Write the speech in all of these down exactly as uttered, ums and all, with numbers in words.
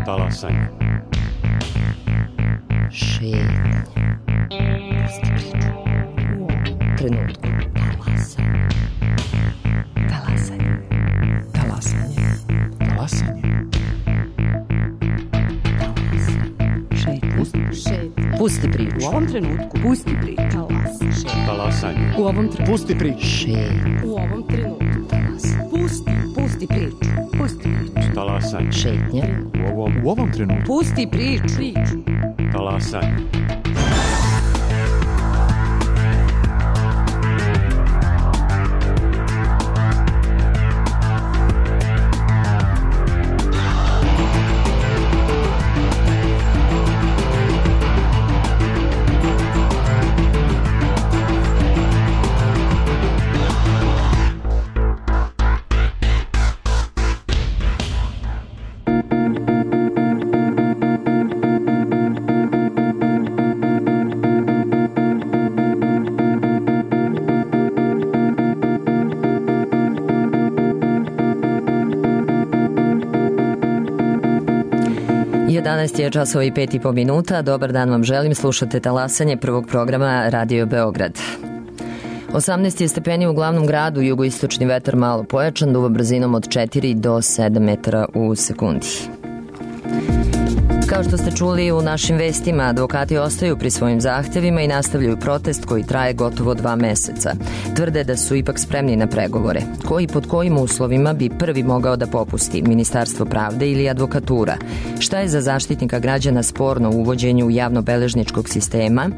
Talasanje. Šetnje. Pusti priču. U trenutku. Talasanje. Talasanje. Talasanje. Talasanje. Šetnje. Pusti, Šetnje. Pusti priču. u ovom trenutku. Pusti priču. Talasanje. Talasanje. U ovom trenutku. Pusti priču. Šetnje. U ovom trenutku. Talasanje. Pusti. Pusti priču. Pusti priču. Talasanje. Šetnje. U ovom, U ovom trenutku. Pusti priču. Priču. talasanje. jedanaest je časova i pet i po minuta. Dobar dan vam želim. Slušate talasanje prvog programa Radio Beograd. osamnaest je stepeni u glavnom gradu, jugoistočni vetar malo pojačan, duva brzinom od četiri do sedam metara u sekundi. Kao što ste čuli u našim vestima, advokati ostaju pri svojim zahtevima i nastavljaju protest koji traje gotovo dva meseca. Tvrde da su ipak spremni na pregovore. Koji pod kojim uslovima bi prvi mogao da popusti, Ministarstvo pravde ili advokatura? Šta je za zaštitnika građana sporno u uvođenju javnobeležničkog sistema?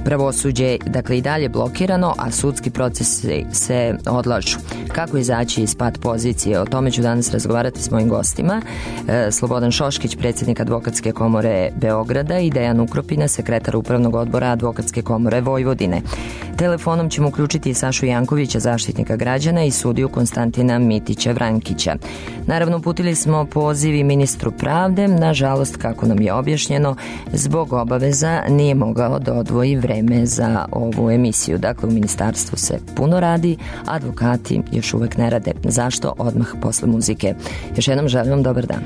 Pravosuđe, dakle, i dalje blokirano, a sudski procesi se odlažu. Kako izaći iz pat pozicije? O tome ću danas razgovarati s mojim gostima. E, Slobodan Šoškić, predsjednik Advokatske komore Beograda, i Dejan Ukropina, sekretar Upravnog odbora Advokatske komore Vojvodine. Telefonom ćemo uključiti i Sašu Jankovića, zaštitnika građana, i sudiju Konstantina Mitića Vrankića. Naravno, uputili smo poziv i ministru pravde. Nažalost, kako nam je objašnjeno, zbog obaveza nije mogao da odvoji vreme za ovu emisiju. Dakle, u ministarstvu se puno radi, advokati još uvek ne rade. Zašto? Odmah posle muzike. Još jednom želim vam dobar dan.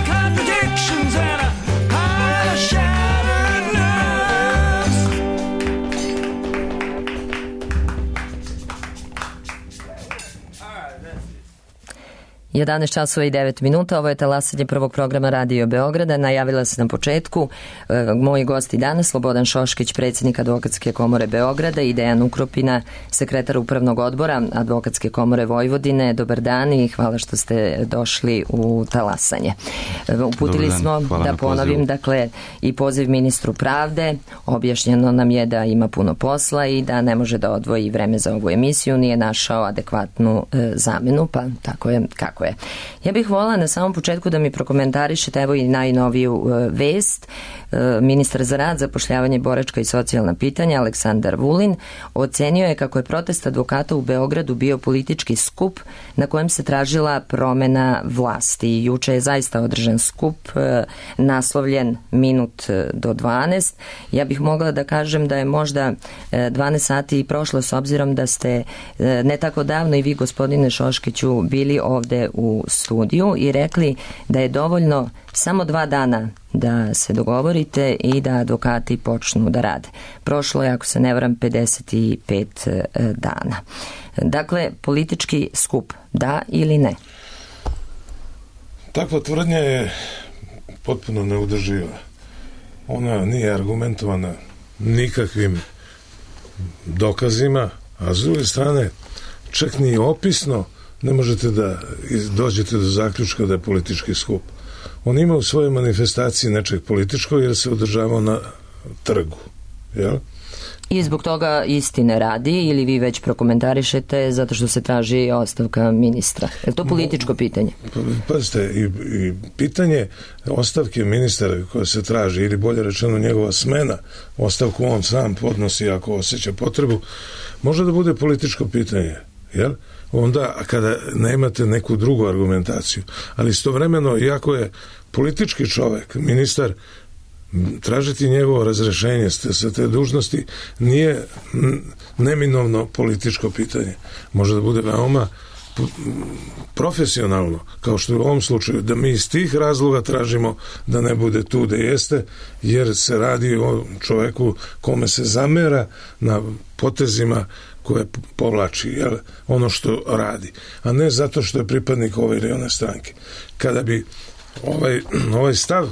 Contradictions and a high jedanaest časova i devet minuta, ovo je talasanje prvog programa Radio Beograda. Najavila se na početku e, moji gosti danas, Slobodan Šoškić, predsjednik Advokatske komore Beograda, i Dejan Ukropina, sekretar Upravnog odbora Advokatske komore Vojvodine. Dobar dan i hvala što ste došli u talasanje. E, uputili smo, da ponovim, dakle, i poziv ministru pravde. Objašnjeno nam je da ima puno posla i da ne može da odvoji vreme za ovu emisiju, nije našao adekvatnu e, zamenu, pa tako je kako je. Ja bih volila na samom početku da mi prokomentarišete, evo i najnoviju e, vest. E, ministar za rad, zapošljavanje, boračka i socijalna pitanja Aleksandar Vulin ocenio je kako je protest advokata u Beogradu bio politički skup na kojem se tražila promena vlasti. Juče je zaista održan skup e, naslovljen minut do dvanaest. Ja bih mogla da kažem da je možda e, dvanaest sati i prošlo, s obzirom da ste e, ne tako davno i vi, gospodine Šoškiću, bili ovde u studiju i rekli da je dovoljno samo dva dana da se dogovorite i da advokati počnu da rade. Prošlo je, ako se ne varam, pedeset pet dana. Dakle, politički skup, da ili ne? Takva tvrdnja je potpuno neudrživa. Ona nije argumentovana nikakvim dokazima, a s druge strane čak ni opisno ne možete da dođete do zaključka da je politički skup. On ima u svojoj manifestaciji nečeg političkog jer se održavao na trgu. Jel? I zbog toga istine radi, ili vi već prokomentarišete zato što se traži ostavka ministra? Je li to političko pitanje? Pazite, i, i pitanje ostavke ministra koja se traži, ili bolje rečeno njegova smena, ostavku on sam podnosi ako osjeća potrebu, može da bude političko pitanje. Jel? Onda kada nemate neku drugu argumentaciju, ali istovremeno, iako je politički čovek, ministar, tražiti njegovo razrešenje sa te dužnosti nije neminovno političko pitanje. Može da bude veoma profesionalno, kao što je u ovom slučaju, da mi iz tih razloga tražimo da ne bude tu da jeste, jer se radi o čoveku kome se zamera na potezima koje povlači, jel, ono što radi, a ne zato što je pripadnik ove ili one stranke. Kada bi ovaj, ovaj stav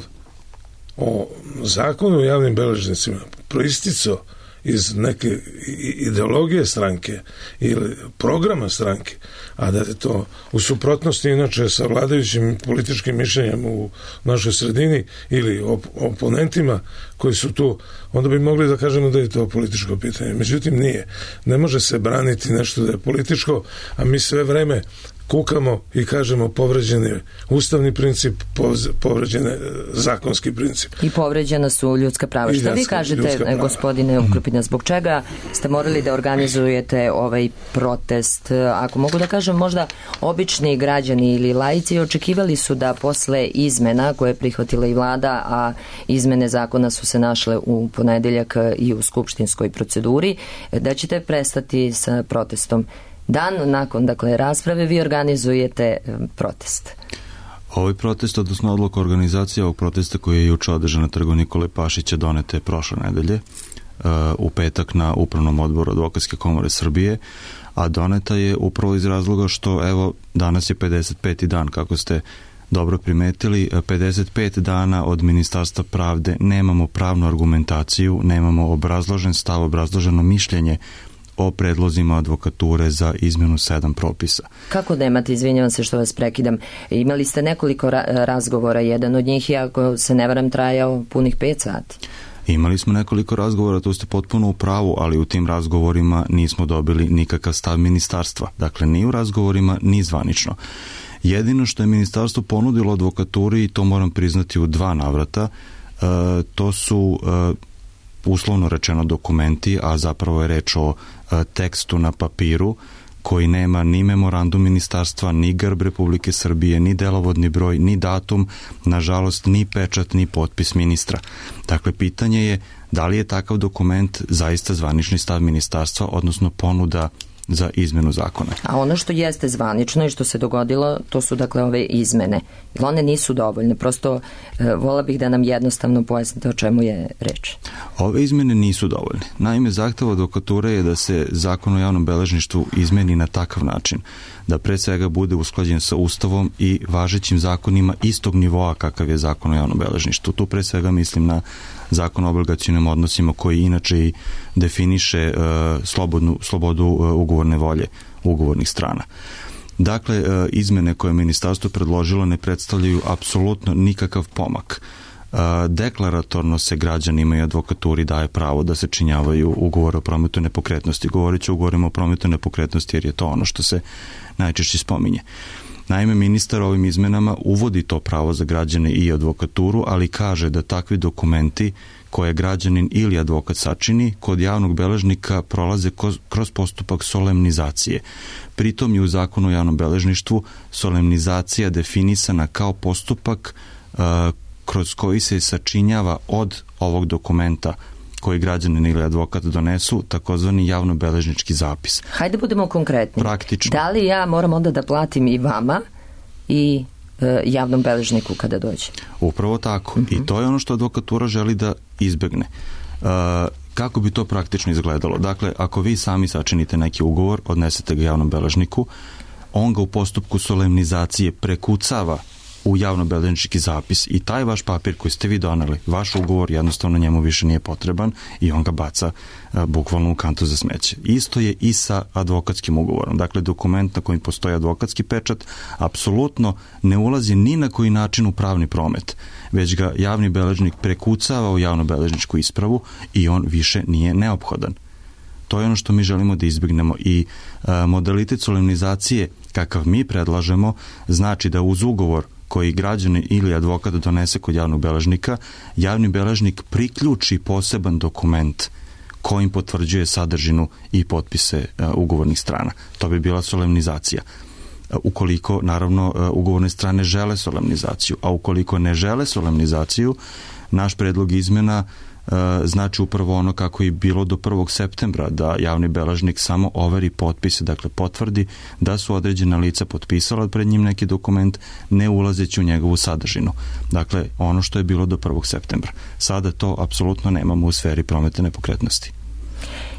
o zakonu o javnim beležnicima proisticao iz neke ideologije stranke ili programa stranke, a da je to u suprotnosti inače sa vladajućim političkim mišljenjem u našoj sredini ili op- oponentima koji su tu, onda bi mogli da kažemo da je to političko pitanje. Međutim, nije. Ne može se braniti nešto da je političko, a mi sve vreme kukamo i kažemo povređen je ustavni princip, povređen je zakonski princip. I povređena su ljudska prava. Šta vi kažete, gospodine Ukropina, zbog čega ste morali da organizujete ovaj protest? Ako mogu da kažem, možda obični građani ili laici očekivali su da posle izmena koje je prihvatila i vlada, a izmene zakona su se našle u ponedeljak i u skupštinskoj proceduri, da ćete prestati sa protestom. Dan nakon, dakle, rasprave vi organizujete protest. Ovaj protest, odnosno odluka organizacije ovog protesta koji je juče održan na trgu Nikole Pašića, donete je prošle nedelje uh, u petak na Upravnom odboru Advokatske komore Srbije, a doneta je upravo iz razloga što, evo, danas je pedeset peti dan, kako ste dobro primetili, pedeset pet dana od Ministarstva pravde nemamo pravnu argumentaciju, nemamo obrazložen stav, obrazloženo mišljenje o predlozima advokature za izmenu sedam propisa. Kako nemate, izvinjavam se što vas prekidam, imali ste nekoliko ra- razgovora, jedan od njih je, ako se ne varam, trajao punih pet sati. Imali smo nekoliko razgovora, to ste potpuno u pravu, ali u tim razgovorima nismo dobili nikakav stav ministarstva. Dakle, ni u razgovorima, ni zvanično. Jedino što je ministarstvo ponudilo advokaturi, i to moram priznati u dva navrata, uh, to su uh, uslovno rečeno dokumenti, a zapravo je reč o a, tekstu na papiru koji nema ni memorandum ministarstva, ni grb Republike Srbije, ni delovodni broj, ni datum, nažalost ni pečat, ni potpis ministra. Dakle, pitanje je da li je takav dokument zaista zvanični stav ministarstva, odnosno ponuda za izmenu zakona. A ono što jeste zvanično i što se dogodilo, to su dakle ove izmene. One nisu dovoljne, prosto e, vola bih da nam jednostavno pojasnite o čemu je reč. Ove izmene nisu dovoljne. Naime, zahtev advokature je da se zakon o javnom beležništvu izmeni na takav način da pre svega bude usklađen sa Ustavom i važećim zakonima istog nivoa kakav je zakon o javnom beležništvu. Tu pre svega mislim na zakon o obligacionim odnosima koji inače i definiše uh, slobodnu, slobodu uh, ugovorne volje ugovornih strana. Dakle, uh, izmene koje je ministarstvo predložilo ne predstavljaju apsolutno nikakav pomak. Uh, deklaratorno se građanima i advokaturi daje pravo da se činjavaju ugovore o prometu nepokretnosti. Govorit ću o ugovorima o prometu nepokretnosti jer je to ono što se najčešće spominje. Naime, ministar ovim izmenama uvodi to pravo za građane i advokaturu, ali kaže da takvi dokumenti koje građanin ili advokat sačini kod javnog beležnika prolaze kroz postupak solemnizacije. Pritom je u zakonu o javnom beležništvu solemnizacija definisana kao postupak uh, kroz koji se sačinjava od ovog dokumenta koji građanin ili advokat donesu, takozvani javno-beležnički zapis. Hajde budemo konkretni. Praktično. Da li ja moram onda da platim i vama i e, javnom beležniku kada dođe? Upravo tako. Uh-huh. I to je ono što advokatura želi da izbegne. Uh, kako bi to praktično izgledalo? Dakle, ako vi sami sačinite neki ugovor, odnesete ga javnom beležniku, on ga u postupku solemnizacije prekucava u javno-beležnički zapis i taj vaš papir koji ste vi doneli, vaš ugovor jednostavno njemu više nije potreban i on ga baca a, bukvalno u kantu za smeće. Isto je i sa advokatskim ugovorom. Dakle, dokument na kojem postoji advokatski pečat apsolutno ne ulazi ni na koji način u pravni promet, već ga javni beležnik prekucava u javno-beležničku ispravu i on više nije neophodan. To je ono što mi želimo da izbjegnemo i a, modalitet solemnizacije kakav mi predlažemo znači da uz ugovor koji građanin ili advokat donese kod javnog beležnika, javni beležnik priključi poseban dokument kojim potvrđuje sadržinu i potpise uh, ugovornih strana. To bi bila solemnizacija. Uh, ukoliko, naravno, uh, ugovorne strane žele solemnizaciju, a ukoliko ne žele solemnizaciju, naš predlog izmena znači upravo ono kako je bilo do prvog septembra, da javni beležnik samo overi potpise, dakle potvrdi da su određena lica potpisala pred njim neki dokument, ne ulazeći u njegovu sadržinu. Dakle, ono što je bilo do prvog septembra. Sada to apsolutno nemamo u sferi prometa nepokretnosti.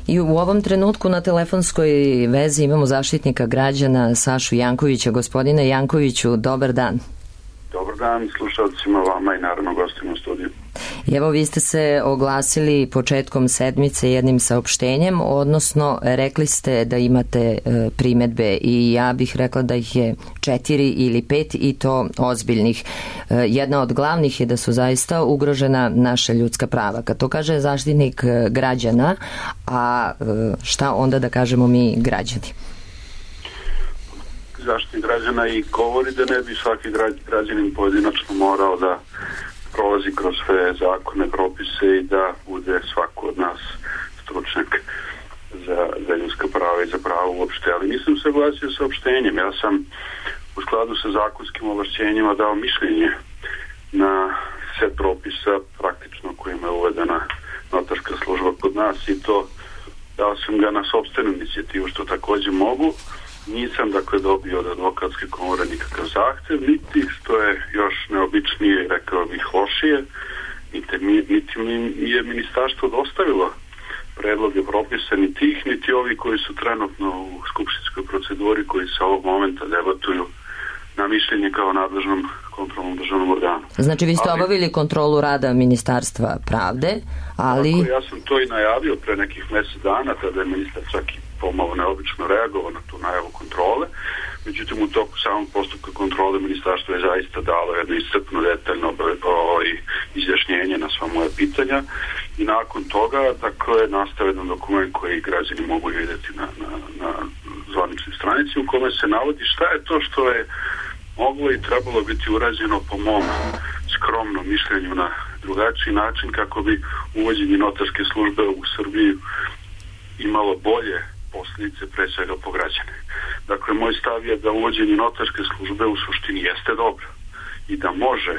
I u ovom trenutku na telefonskoj vezi imamo zaštitnika građana Sašu Jankovića. Gospodine Jankoviću, dobar dan. Dobar dan slušalcima, vama i naravno gostima u studiju. Evo, vi ste se oglasili početkom sedmice jednim saopštenjem, odnosno rekli ste da imate e, primedbe i ja bih rekla da ih je četiri ili pet i to ozbiljnih. E, jedna od glavnih je da su zaista ugrožena naša ljudska prava. Kad to kaže zaštitnik građana, a e, šta onda da kažemo mi građani? Zaštitnik građana i govori da ne bi svaki građanin pojedinačno morao da prolazi kroz sve zakone, propise i da bude svako od nas stručnjak za, za ljudska prava i za pravo uopšte. Ali nisam se oglasio sa opštenjem. Ja sam u skladu sa zakonskim ovlašćenjima dao mišljenje na set propisa praktično kojima je uvedena notarska služba kod nas i to dao sam ga na sopstvenu inicijativu, što također mogu. Nisam dakle dobio od advokatske komore nikakav zahtev, niti što je još neobičnije, rekao bih lošije, niti mi, niti mi je ministarstvo dostavilo predloge propisa, ni tih, niti ovi koji su trenutno u skupštinskoj proceduri, koji se ovog momenta debatuju na mišljenje kao nadležnom kontrolnom državnom organu. Znači vi ste ali, obavili kontrolu rada Ministarstva pravde, ali... Tako, ja sam to i najavio pre nekih mjesec dana, tada je ministar čak i pomalo neobično reagovao na tu najavu kontrole. Međutim, u toku samog postupka kontrole ministarstvo je zaista dalo jedno iscrpno, detaljno izjašnjenje na sva moja pitanja i nakon toga dakle, nastao jedan dokument koji građani mogu vidjeti na, na, na zvaničnoj stranici u kome se navodi šta je to što je moglo i trebalo biti urađeno po mom skromnom mišljenju na drugačiji način kako bi uvođenje notarske službe u Srbiji imalo bolje posljedice pre svega po građane. Dakle, moj stav je da uvođenje notarske službe u suštini jeste dobro i da može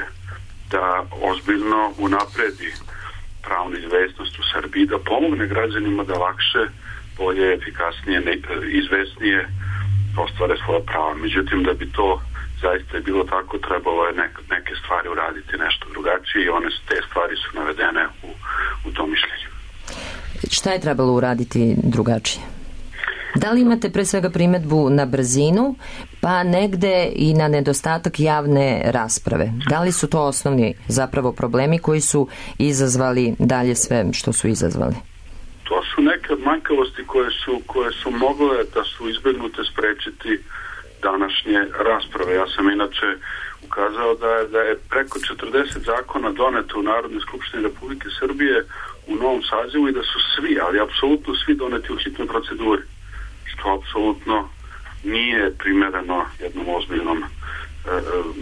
da ozbiljno unapredi pravnu izvesnost u Srbiji, da pomogne građanima da lakše bolje, efikasnije, izvesnije ostvare svoja prava. Međutim, da bi to zaista je bilo tako, trebalo je neke, neke stvari uraditi nešto drugačije i one te stvari su navedene u, u tom mišljenju. Šta je trebalo uraditi drugačije? Da li imate pre svega primedbu na brzinu, pa negde i na nedostatak javne rasprave? Da li su to osnovni zapravo problemi koji su izazvali dalje sve što su izazvali? To su neke manjkavosti koje su, koje su mogle da su izbegnute sprečiti današnje rasprave. Ja sam inače ukazao da je, da je preko četrdeset zakona doneto u Narodnoj skupštini Republike Srbije u novom sazivu i da su svi, ali apsolutno svi doneti u hitnoj proceduri, što apsolutno nije primereno jednom ozbiljnom e,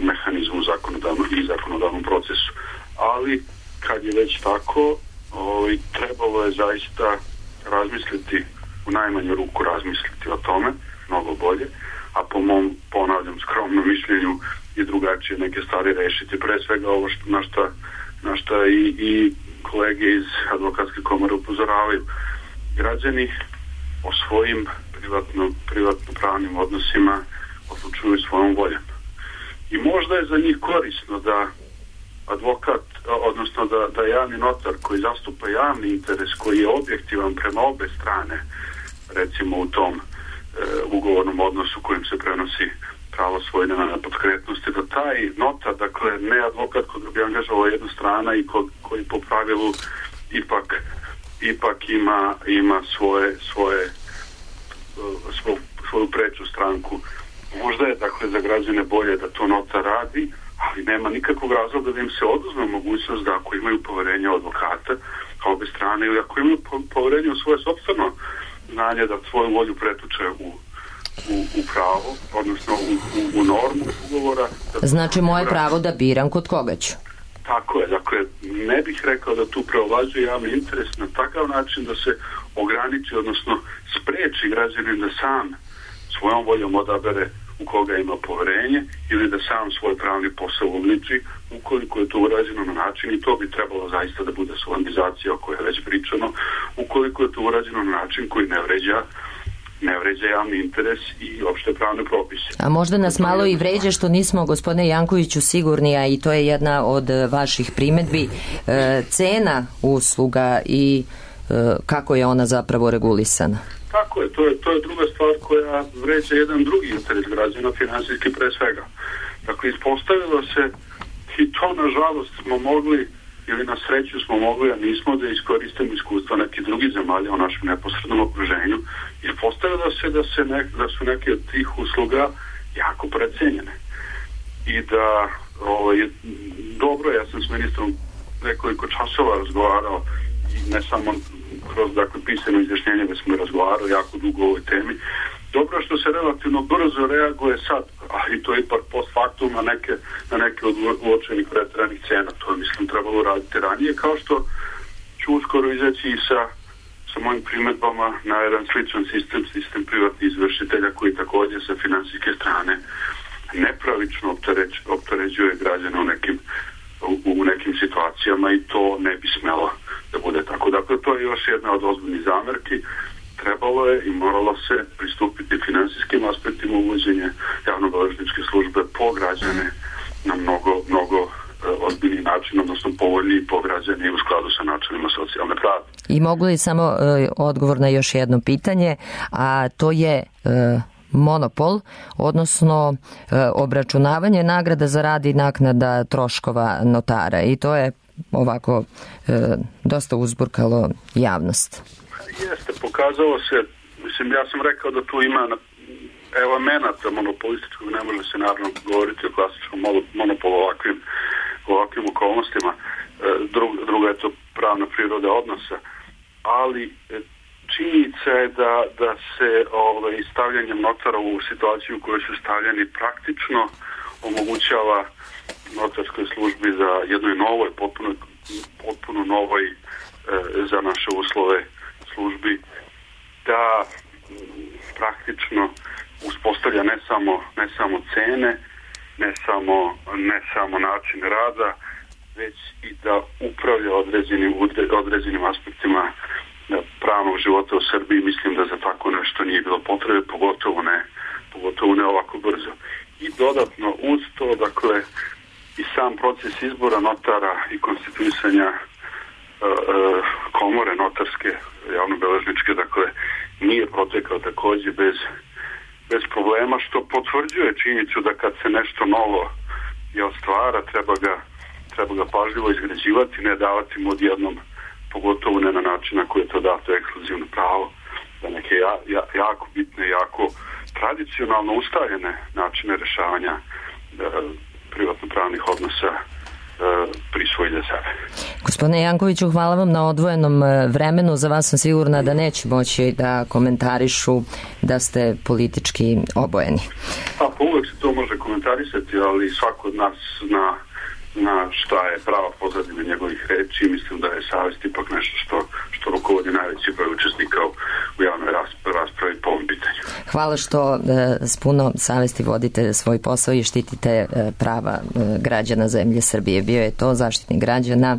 mehanizmu zakonodavnom i zakonodavnom procesu. Ali kad je već tako, ovaj, trebalo je zaista razmisliti, u najmanju ruku razmisliti o tome, mnogo bolje, a po mom, ponavljam, skromnom mišljenju i drugačije neke stvari rešiti. Pre svega ovo što, na šta, na šta i, i kolege iz advokatske komore upozoravaju. Građani o svojim privatno, privatno pravnim odnosima odlučuju svojom voljom. I možda je za njih korisno da advokat, odnosno da, da javni notar koji zastupa javni interes, koji je objektivan prema obe strane, recimo u tom e, ugovornom odnosu kojim se prenosi pravo svojine na nepokretnosti, da taj notar, dakle ne advokat koga bi angažovao jedna strana i ko, koji po pravilu ipak ipak ima, ima svoje, svoje Svoj, svoju preču stranku. Možda je dakle za građane bolje da to notar radi, ali nema nikakvog razloga da im se oduzme mogućnost da ako imaju poverenje u advokata kao obe strane ili ako imaju poverenje u svoje sopstveno znanje da svoju volju pretuče u, u, u pravo, odnosno u, u, u normu ugovora. Znači moje pravo da biram kod koga ću. Tako je, dakle ne bih rekao da tu preovlađuje javni interes na takav način da se ograniči, odnosno spreči građanin da sam svojom voljom odabere u koga ima poverenje ili da sam svoj pravni posao uliči, ukoliko je to urađeno na način, i to bi trebalo zaista da bude solemnizacija o kojoj je već pričano, ukoliko je to urađeno na način koji ne vređa ne vređa javni interes i opšte pravne propise. A možda nas malo i vređa što nismo, gospodine Jankoviću, sigurni, a i to je jedna od vaših primedbi, e, cena usluga i e, kako je ona zapravo regulisana. Tako je, to je, to je druga stvar koja vređa jedan drugi interes građana, finansijski pre svega. Dakle, ispostavilo se, i to nažalost smo mogli, ili na sreću smo mogli, a nismo, da iskoristimo iskustva nekih drugih zemalja u našem neposrednom okruženju. Ispostavilo se da, se nek, da su neke od tih usluga jako precenjene. I da, ovaj, dobro, ja sam s ministrom nekoliko časova razgovarao, i ne samo kroz dakle, pisano izjašnjenje, već smo razgovarali jako dugo o ovoj temi. Dobro što se relativno brzo reaguje sad, a i to je ipak post factum na neke, na neke od uočenih preteranih cena. To je, mislim, trebalo raditi ranije, kao što ću uskoro izaći i sa, sa mojim primedbama na jedan sličan sistem, sistem privatnih izvršitelja koji također sa finansijske strane nepravično optereć, opteređuje građane u nekim, u, u nekim situacijama, i to ne bi smelo da bude tako. Dakle, to je još jedna od ozbiljnih zamerki. Trebalo je i moralo se pristupiti finansijskim aspektima uvođenja javnobeležničke službe po građane na mnogo, mnogo ozbiljni način, odnosno povoljniji po građane i u skladu sa načinima socijalne pravde. I mogu li samo e, odgovor na još jedno pitanje, a to je e, monopol, odnosno e, obračunavanje nagrada za rad i naknada troškova notara, i to je ovako e, dosta uzburkalo javnost. Jeste, pokazalo se, mislim, ja sam rekao da tu ima elemenata monopolističkog, ne može se naravno govoriti o klasičnom monopolu ovakvim, ovakvim okolnostima, Drug, druga je to pravna priroda odnosa, ali činjenica je da, da se ovaj, stavljanjem notara u situaciju u kojoj su stavljeni praktično omogućava notarskoj službi za jednoj novoj, potpuno, potpuno novoj e, za naše uslove službi, da praktično uspostavlja ne samo, ne samo cene, ne samo, ne samo način rada, već i da upravlja određenim, određenim aspektima pravnog života u Srbiji, mislim da za tako nešto nije bilo potrebe, pogotovo ne, pogotovo ne ovako brzo. I dodatno uz to, dakle, i sam proces izbora notara i konstituisanja uh, uh, komore notarske, javnobeležničke, dakle, nije protekao takođe bez, bez problema, što potvrđuje činjenicu da kad se nešto novo je stvara, treba ga, treba ga pažljivo izgrađivati, ne davati mu odjednom, pogotovo ne na način na koji je to dato ekskluzivno pravo, da neke ja, ja, jako bitne, jako tradicionalno ustaljene načine rešavanja da, privatno-pravnih odnosa e, prisvoji za sebe. Gospodine Jankoviću, hvala vam na odvojenom vremenu. Za vas sam sigurna da neće moći da komentarišu da ste politički obojeni. Pa, pa uvek se to može komentarisati, ali svako od nas zna na šta je prava pozadina njegovih reči. Mislim da je savest ipak nešto što, što rukovodi najveći broj učesnika u, u javnoj raspravi po ovom pitanju. Hvala što e, s puno savesti vodite svoj posao i štitite e, prava e, građana zemlje Srbije. Bio je to Zaštitnik građana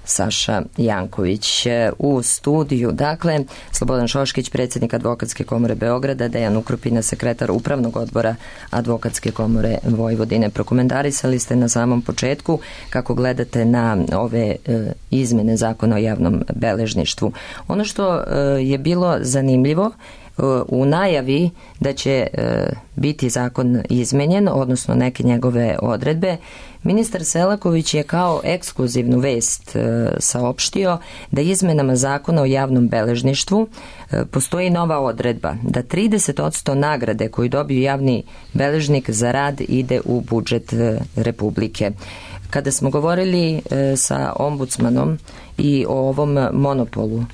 Saša Janković. U studiju, dakle, Slobodan Šoškić, predsjednik Advokatske komore Beograda, Dejan Ukrupina, sekretar Upravnog odbora Advokatske komore Vojvodine. Prokomentarisali ste na samom početku kako gledate na ove e, izmene zakona o javnom beležništvu. Ono što e, je bilo zanimljivo e, u najavi da će e, biti zakon izmenjen, odnosno neke njegove odredbe, ministar Selaković je kao ekskluzivnu vest e, saopštio da izmenama zakona o javnom beležništvu e, postoji nova odredba da trideset posto nagrade koju dobiju javni beležnik za rad ide u budžet e, Republike. Kada smo govorili e, sa ombudsmanom i o ovom monopolu,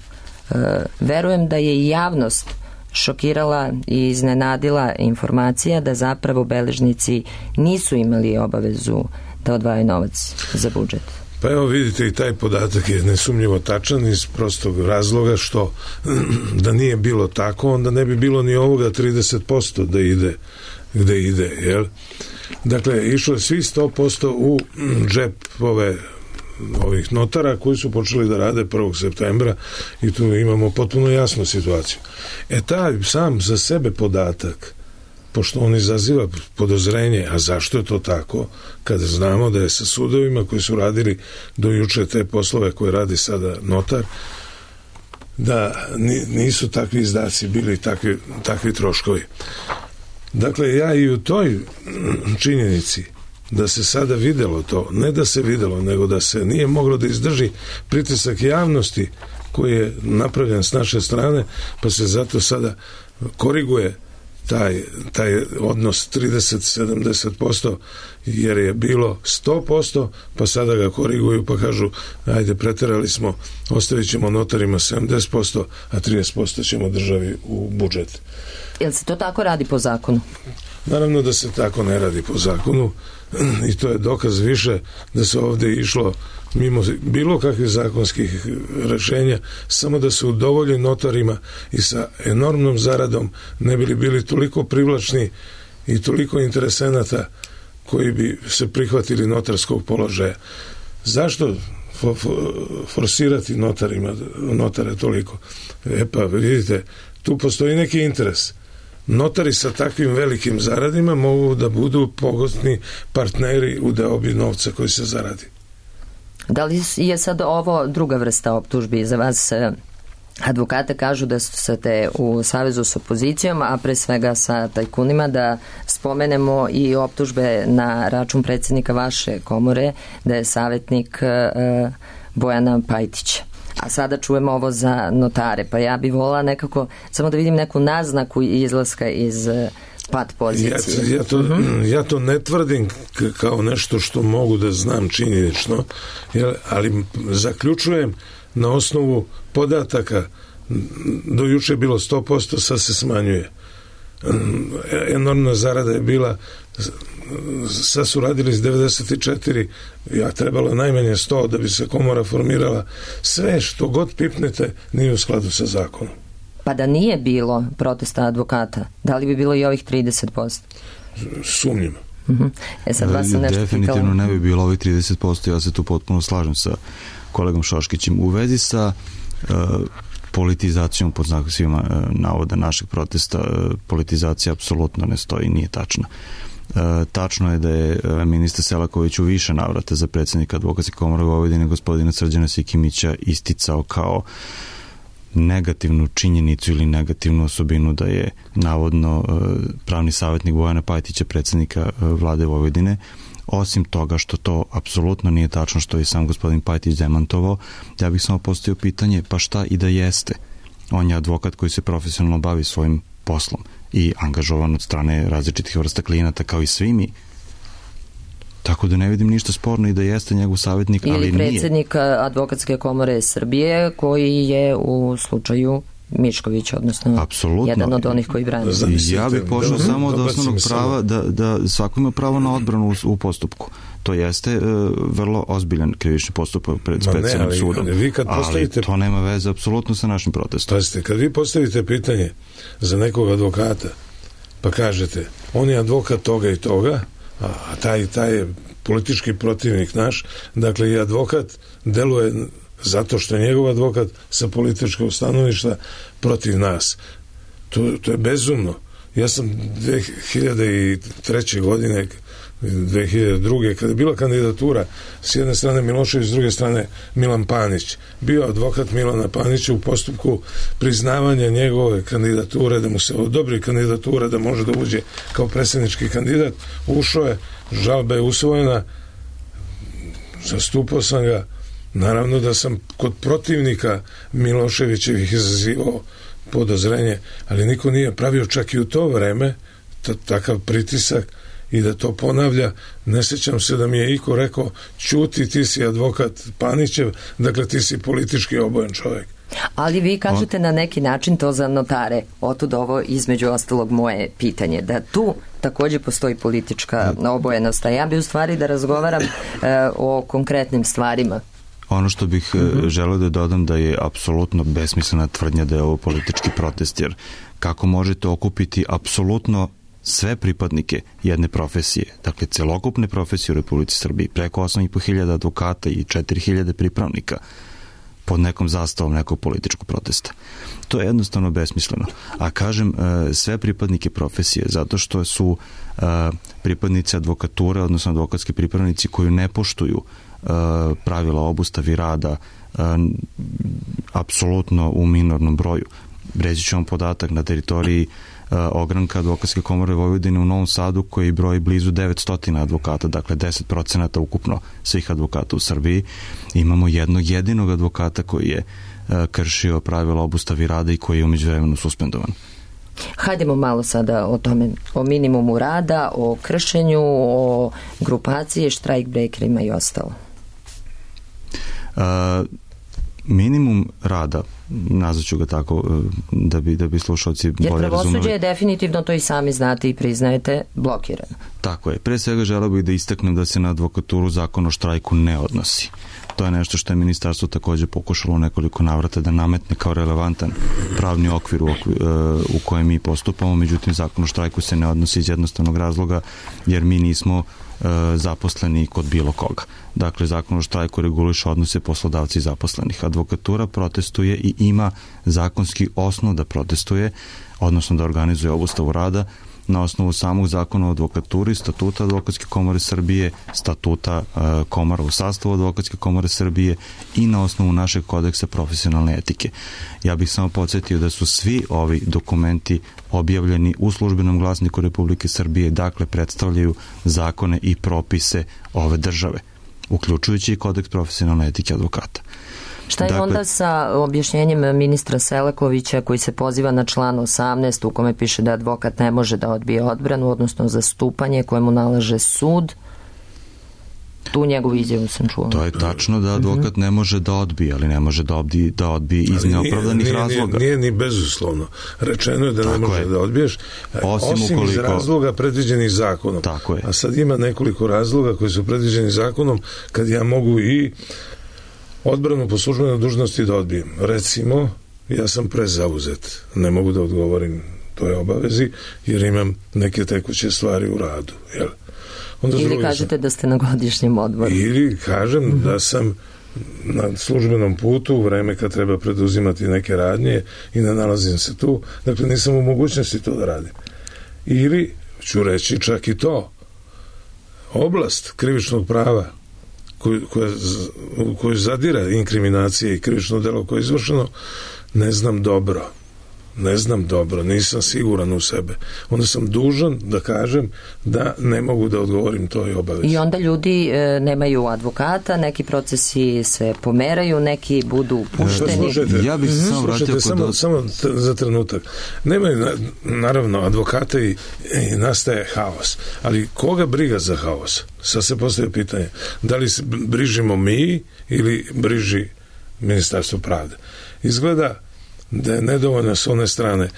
e, verujem da je i javnost šokirala i iznenadila informacija da zapravo beležnici nisu imali obavezu da odvajaju novac za budžet. Pa evo vidite, i taj podatak je nesumnjivo tačan iz prostog razloga što da nije bilo tako, onda ne bi bilo ni ovoga trideset posto da ide gde ide, jel? Dakle, išlo je svi sto posto u džep ove ovih notara koji su počeli da rade prvog septembra i tu imamo potpuno jasnu situaciju. E taj sam za sebe podatak, pošto on izaziva podozrenje, a zašto je to tako, kada znamo da je sa sudovima koji su radili do juče te poslove koje radi sada notar, da nisu takvi izdaci bili takvi, takvi troškovi. Dakle, ja i u toj činjenici da se sada videlo to, ne da se videlo, nego da se nije moglo da izdrži pritisak javnosti koji je napravljen s naše strane, pa se zato sada koriguje taj, taj odnos trideset sedamdeset posto jer je bilo sto posto, pa sada ga koriguju pa kažu ajde preterali smo, ostavit ćemo notarima sedamdeset posto, a trideset posto ćemo državi u budžet. Jel se to tako radi po zakonu? Naravno da se tako ne radi po zakonu i to je dokaz više da se ovdje išlo mimo bilo kakvih zakonskih rešenja, samo da se udovolji notarima i sa enormnom zaradom ne bili bili toliko privlačni i toliko interesenata koji bi se prihvatili notarskog položaja. Zašto forsirati notarima, notare toliko? E pa vidite, tu postoji neki interes. Notari sa takvim velikim zaradima mogu da budu pogodni partneri u deobi novca koji se zaradi. Da li je sad ovo druga vrsta optužbi za vas? Advokate kažu da ste u savezu s opozicijom, a pre svega sa tajkunima, da spomenemo i optužbe na račun predsjednika vaše komore, da je savjetnik uh, Bojana Pajtića. A sada čujemo ovo za notare, pa ja bih volila nekako samo da vidim neku naznaku izlaska iz pat pozicije. Ja, ja, to, uh-huh. ja to ne tvrdim kao nešto što mogu da znam činjenično, ali zaključujem na osnovu podataka. Do juče je bilo sto posto, sad se smanjuje. Enormna zarada je bila, sad su radili s devedeset četiri, ja trebalo najmanje sto da bi se komora formirala. Sve što god pipnete nije u skladu sa zakonom. Pa da nije bilo protesta advokata, da li bi bilo i ovih trideset posto? Sumnjim. Uh-huh. E sad vas sam nešto definitivno pitala. Ne bi bilo ovih trideset posto, ja se tu potpuno slažem sa kolegom Šoškićem. U vezi sa uh, politizacijom pod znacima navoda našeg protesta. Politizacija apsolutno ne stoji, nije tačna. Tačno je da je ministar Selaković u više navrata za predsjednika Advokatske komore Vojvodine gospodina Srđana Sikimića isticao kao negativnu činjenicu ili negativnu osobinu da je navodno pravni savjetnik Bojana Pajtića, predsjednika vlade Vojvodine. Osim toga što to apsolutno nije tačno, što je sam gospodin Pajtić demantovao, ja bih samo postavio pitanje, pa šta i da jeste? On je advokat koji se profesionalno bavi svojim poslom i angažovan od strane različitih vrsta klijenata kao i svi mi. Tako da ne vidim ništa sporno i da jeste njegov savjetnik, ali nije. Ili predsjednik Advokatske komore Srbije koji je u slučaju Mišković, odnosno apsolutno jedan od onih koji brane. Ja bih pošao samo od osnovnog prava da, da svako ima pravo na odbranu u, u postupku. To jeste uh, vrlo ozbiljan krivični postupak pred specijalnim sudom. Ali, vi kad postavite, ali to nema veze apsolutno sa našim protestom. Pazite, kad vi postavite pitanje za nekog advokata, pa kažete, on je advokat toga i toga, a taj, taj je politički protivnik naš, dakle i advokat deluje zato što je njegov advokat sa političkog stanovišta protiv nas. To, to je bezumno. Ja sam dve hiljade treće godine, dve hiljade druge kada je bila kandidatura s jedne strane Milošević, s druge strane Milan Panić, bio advokat Milana Panića u postupku priznavanja njegove kandidature, da mu se odobri kandidatura da može da uđe kao predsjednički kandidat. Ušao je, žalba je usvojena, zastupao sam ga. Naravno da sam kod protivnika Miloševićevih izazivao podozrenje, ali niko nije pravio čak i u to vreme takav pritisak i da to ponavlja. Ne sjećam se da mi je iko rekao, ćuti, ti si advokat Panićev, dakle ti si politički obojen čovjek. Ali vi kažete na neki način to za notare. Otud ovo između ostalog moje pitanje, da tu također postoji politička obojenost, a ja bi u stvari da razgovaram e, o konkretnim stvarima. Ono što bih mm-hmm. želeo da dodam da je apsolutno besmislena tvrdnja da je ovo politički protest, jer kako možete okupiti apsolutno sve pripadnike jedne profesije, dakle celokupne profesije u Republici Srbiji, preko osam i po hiljada advokata i četiri hiljade pripravnika pod nekom zastavom nekog političkog protesta. To je jednostavno besmisleno. A kažem sve pripadnike profesije, zato što su pripadnici advokature, odnosno advokatski pripravnici koji ne poštuju pravila obustavi rada apsolutno u minornom broju. Reći ću vam podatak na teritoriji ogranka Advokatske komore Vojvodine u Novom Sadu koji broji blizu devetsto advokata, dakle deset procenata ukupno svih advokata u Srbiji. Imamo jednog jedinog advokata koji je kršio pravila obustavi rada i koji je u međuvremenu suspendovan. Hajdemo malo sada o tome, o minimumu rada, o kršenju, o grupaciji, štrajk brekerima i ostalo. Uh, minimum rada, nazvaću ga tako da bi, da bi slušalci bolje razumeli. Jer pravosuđe je definitivno, to i sami znate i priznajete, blokirano. Tako je. Pre svega želeo bih da istaknem da se na advokaturu zakon o štrajku ne odnosi. To je nešto što je ministarstvo također pokušalo u nekoliko navrata da nametne kao relevantan pravni okvir u, okvir, u kojem mi postupamo, međutim zakon o štrajku se ne odnosi iz jednostavnog razloga jer mi nismo zaposleni kod bilo koga. Dakle, zakon o štrajku reguliše odnose poslodavci i zaposlenih. Advokatura protestuje i ima zakonski osnov da protestuje, odnosno da organizuje obustavu rada na osnovu samog zakona o advokaturi, statuta Advokatske komore Srbije, statuta uh, komora u sastavu Advokatske komore Srbije i na osnovu našeg kodeksa profesionalne etike. Ja bih samo podsjetio da su svi ovi dokumenti objavljeni u službenom glasniku Republike Srbije, dakle predstavljaju zakone i propise ove države, uključujući i kodeks profesionalne etike advokata. Šta je dakle, onda sa objašnjenjem ministra Selakovića koji se poziva na član osamnaest u kome piše da advokat ne može da odbije odbranu, odnosno zastupanje koje mu nalaže sud? Tu njegovu izjavu sam čuo. To je tačno da advokat ne može da odbije, ali ne može da odbije, da odbije iz neopravdanih nije, razloga. Nije, nije ni bezuslovno. Rečeno je da Tako ne može je. da odbiješ, osim, osim ukoliko... iz razloga predviđenih zakonom. Tako je. A sad ima nekoliko razloga koji su predviđeni zakonom kad ja mogu i odbranu po službenoj dužnosti da odbijem. Recimo, ja sam prezauzet. Ne mogu da odgovorim toj obavezi jer imam neke tekuće stvari u radu. Jel? Onda ili kažete sam, da ste na godišnjem odmoru. Ili kažem mm-hmm. da sam na službenom putu u vreme kad treba preduzimati neke radnje i ne nalazim se tu, dakle nisam u mogućnosti to da radim. Ili ću reći čak i to, oblast krivičnog prava koju, koja, koju zadira inkriminacije i krivično delo koje je izvršeno, ne znam dobro. Ne znam dobro, nisam siguran u sebe. Onda sam dužan da kažem da ne mogu da odgovorim toj obavezi. I onda ljudi e, nemaju advokata, neki procesi se pomeraju, neki budu pušteni. Slušajte, ja bih se samo vratio kod... Samo, samo t- za trenutak. Nemaju, na, naravno, advokata i, i nastaje haos. Ali koga briga za haos? Sad se postavlja pitanje. Da li se brižimo mi ili briži Ministarstvo pravde? Izgleda da je nedovoljno s one strane.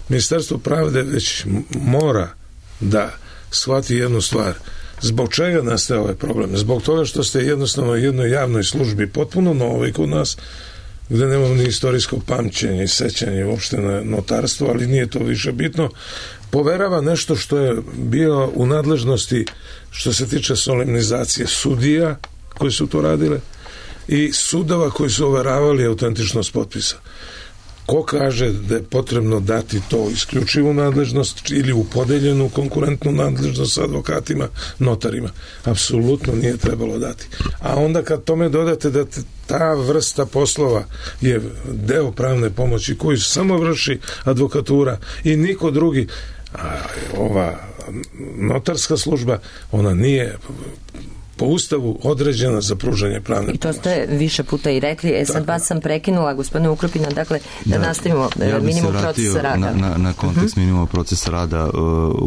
Ministarstvo pravde već mora da shvati jednu stvar. Zbog čega nastaje ovaj problem? Zbog toga što ste jednostavno u jednoj javnoj službi potpuno novi kod nas, gde nemamo ni istorijsko pamćenje i sećanje uopšte na notarstvo, ali nije to više bitno, poverava nešto što je bilo u nadležnosti što se tiče solemnizacije sudija koji su to radile i sudova koji su overavali autentičnost potpisa. Ko kaže da je potrebno dati to isključivu nadležnost ili u podeljenu konkurentnu nadležnost sa advokatima, notarima? Apsolutno nije trebalo dati. A onda kad tome dodate da ta vrsta poslova je deo pravne pomoći koju samo vrši advokatura i niko drugi, a ova notarska služba, ona nije po Ustavu određena za pružanje pravne I to ste više puta i rekli. E sad vas sam prekinula, gospodine Ukrupina, dakle da, da nastavimo ja minimum procesa rada. Na, na, na kontekst uh-huh. minimum procesa rada uh,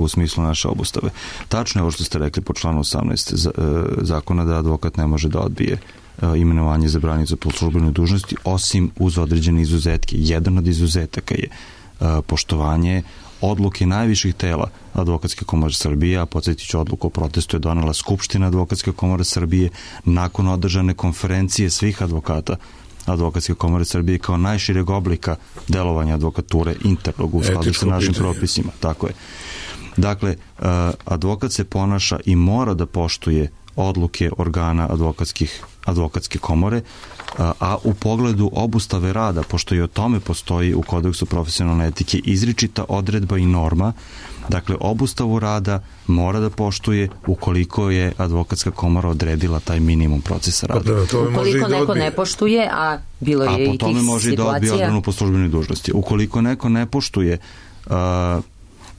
u smislu naše obustave. Tačno je ovo što ste rekli po članu osamnaest z, uh, zakona da advokat ne može da odbije uh, imenovanje za branicu po službenoj dužnosti, osim uz određene izuzetke. Jedan od izuzetaka je uh, poštovanje odluke najviših tela Advokatske komore Srbije, a podsjetit ću, odluku o protestu je donela Skupština Advokatske komore Srbije nakon održane konferencije svih advokata Advokatske komore Srbije kao najšireg oblika delovanja advokature internog u skladu sa našim propisima. Tako je. Dakle, advokat se ponaša i mora da poštuje odluke organa advokatskih, advokatske komore, a u pogledu obustave rada, pošto i o tome postoji u kodeksu profesionalne etike izričita odredba i norma, dakle obustavu rada mora da poštuje ukoliko je advokatska komora odredila taj minimum procesa rada. Pa da, to ukoliko neko odbije. ne poštuje, a bilo je a i tih situacija. A po tome može i da odbije odbranu po službenoj dužnosti. Ukoliko neko ne poštuje uh,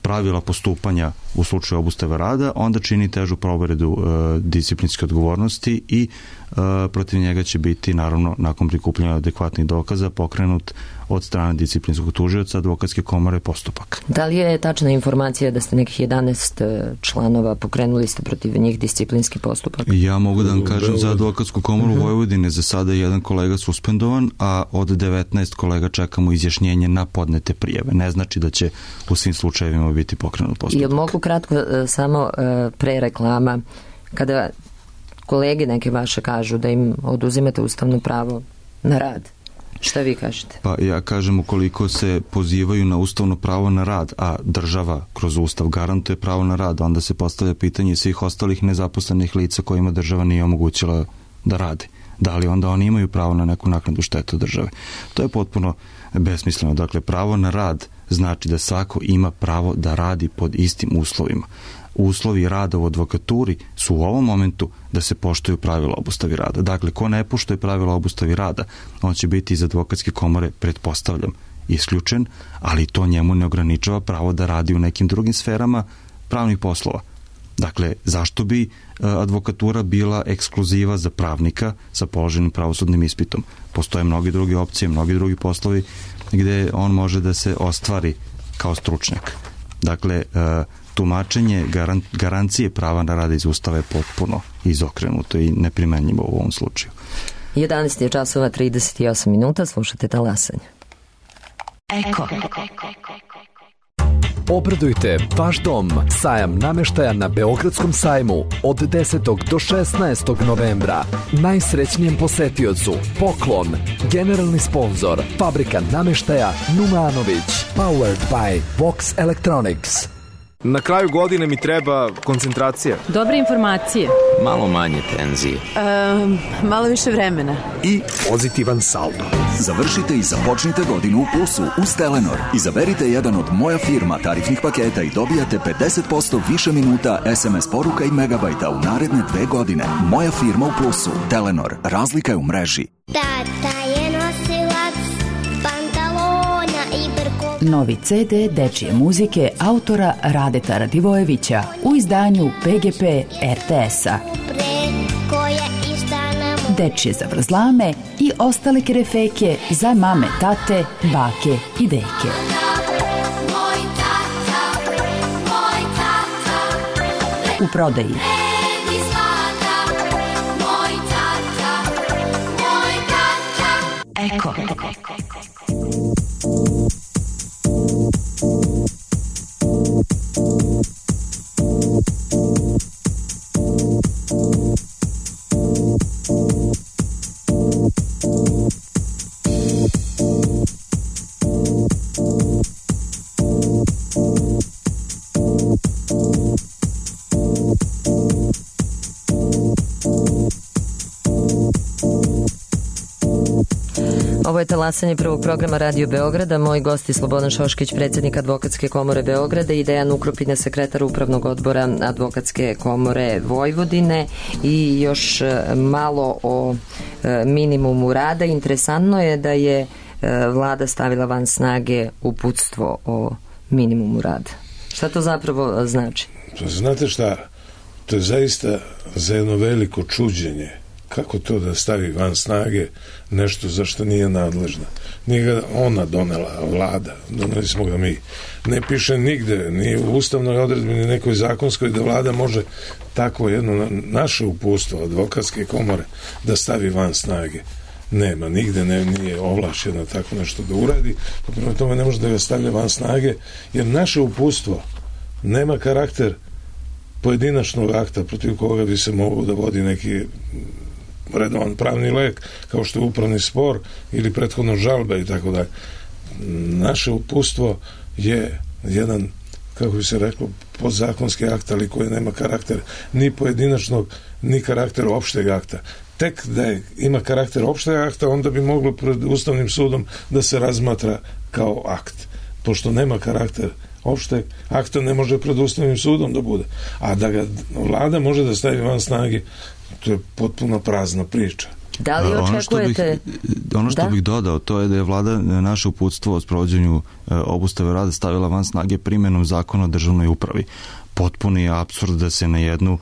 pravila postupanja u slučaju obustave rada, onda čini težu povredu uh, disciplinske odgovornosti i uh, protiv njega će biti, naravno, nakon prikupljanja adekvatnih dokaza, pokrenut od strane disciplinskog tužioca Advokatske komore postupak. Da li je tačna informacija da ste nekih jedanaest članova pokrenuli ste protiv njih disciplinski postupak? Ja mogu da vam kažem za Advokatsku komoru uh-huh. Vojvodine, za sada je jedan kolega suspendovan, a od devetnaest kolega čekamo izjašnjenje na podnete prijave. Ne znači da će u svim slučajevima biti pokrenut postupak. Jel mogu kratko samo pre reklama, kada kolege neke vaše kažu da im oduzimate ustavno pravo na rad, šta vi kažete? Pa ja kažem, ukoliko se pozivaju na ustavno pravo na rad, a država kroz ustav garantuje pravo na rad, onda se postavlja pitanje svih ostalih nezaposlenih lica kojima država nije omogućila da rade. Da li onda oni imaju pravo na neku naknadu štetu države? To je potpuno besmisleno. Dakle, pravo na rad znači da svako ima pravo da radi pod istim uslovima. Uslovi rada u advokaturi su u ovom momentu da se poštuju pravila obustavi rada. Dakle, ko ne poštuje pravila obustavi rada, on će biti iz Advokatske komore, pretpostavljam, isključen, ali to njemu ne ograničava pravo da radi u nekim drugim sferama pravnih poslova. Dakle, zašto bi advokatura bila ekskluziva za pravnika sa položenim pravosudnim ispitom? Postoje mnogi druge opcije, mnogi drugi poslovi gde on može da se ostvari kao stručnjak. Dakle, tumačenje garancije prava na rad iz Ustava je potpuno izokrenuto i neprimenjivo u ovom slučaju. jedanaest je časova trideset osam minuta, slušate Talasanje. Eko. Obradujte vaš dom. Sajam nameštaja na Beogradskom sajmu od desetog do šesnaestog novembra. Najsrećnijem posetiocu poklon. Generalni sponzor Fabrika nameštaja Numanović. Powered by Vox Electronics. Na kraju godine mi treba koncentracija. Dobre informacije. Malo manje tenzije. Um, malo više vremena. I pozitivan saldo. Završite i započnite godinu u plusu uz Telenor. Izaberite jedan od Moja firma tarifnih paketa i dobijate pedeset posto više minuta es em es poruka i megabajta u naredne dve godine. Moja firma u plusu. Telenor. Razlika je u mreži. Tata je nosilac pantalona i brkova. Novi ce de dečije muzike autora Radeta Radivojevića u izdanju pe ge pe er te es-a. Dečije zavrzlame i ostale kerefeke za mame, tate, bake i deke. U prodaji Eko. Ovo je talasanje prvog programa Radio Beograda. Moji gosti Slobodan Šoškić, predsjednik Advokatske komore Beograda, i Dejan Ukropina, sekretar Upravnog odbora Advokatske komore Vojvodine, i još malo o minimumu rada. Interesantno je da je vlada stavila van snage uputstvo o minimumu rada. Šta to zapravo znači? Znate šta, to je zaista za jedno veliko čuđenje. Kako to da stavi van snage nešto za što nije nadležna? Nije ga ona donela, vlada, doneli smo ga mi. Ne piše nigde, ni u ustavnoj odredbi, ni nekoj zakonskoj, da vlada može tako jedno naše uputstvo Advokatske komore da stavi van snage. Nema, nigde ne, nije ovlašćena tako nešto da uradi, pa prema tome ne može da ga stavlja van snage, jer naše uputstvo nema karakter pojedinačnog akta protiv koga bi se mogao da vodi neki redovan pravni lek, kao što je upravni spor ili prethodno žalbe i tako dalje. Naše uputstvo je jedan, kako bi se reklo, podzakonski akt, ali koji nema karakter ni pojedinačnog, ni karakter opšteg akta. Tek da je, ima karakter opšteg akta, onda bi moglo pred Ustavnim sudom da se razmatra kao akt. Pošto nema karakter opšteg akta, ne može pred Ustavnim sudom da bude. A da ga vlada može da stavi van snage, to je potpuno prazna priča. Da li očekujete... Ono što bih, ono što da? bih dodao, to je da je vlada naše uputstvo o sprovođenju obustave rada stavila van snage primjenom zakona o državnoj upravi. Potpuni je apsurd da se na jednu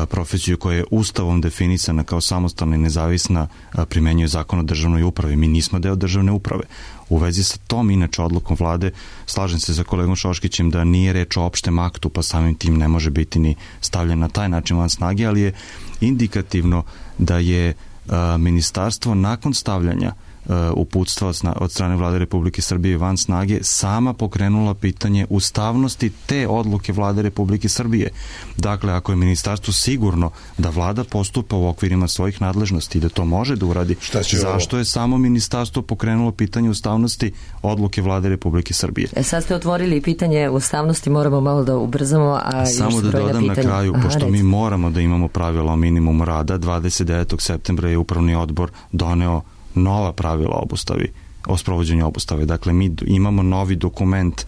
profesiju koja je ustavom definisana kao samostalna i nezavisna primenjuje zakon o državnoj upravi. Mi nismo deo državne uprave. U vezi sa tom, inače, odlukom vlade, slažem se sa kolegom Šoškićem da nije reč o opštem aktu, pa samim tim ne može biti ni stavljen na taj način van snage, ali je indikativno da je a, ministarstvo nakon stavljanja a, uputstva od strane vlade Republike Srbije van snage sama pokrenula pitanje ustavnosti te odluke vlade Republike Srbije. Dakle, ako je ministarstvo sigurno da vlada postupa u okvirima svojih nadležnosti i da to može da uradi, zašto je samo ministarstvo pokrenulo pitanje ustavnosti odluke vlade Republike Srbije? E sad ste otvorili pitanje ustavnosti, moramo malo da ubrzamo, a samo da dodam pitanja. Na kraju, Aha, pošto recimo. mi moramo da imamo pravila o minimumu rada, dvadeset devetog septembra je Upravni odbor doneo nova pravila obustavi, o sprovođenju obustave. Dakle, mi imamo novi dokument,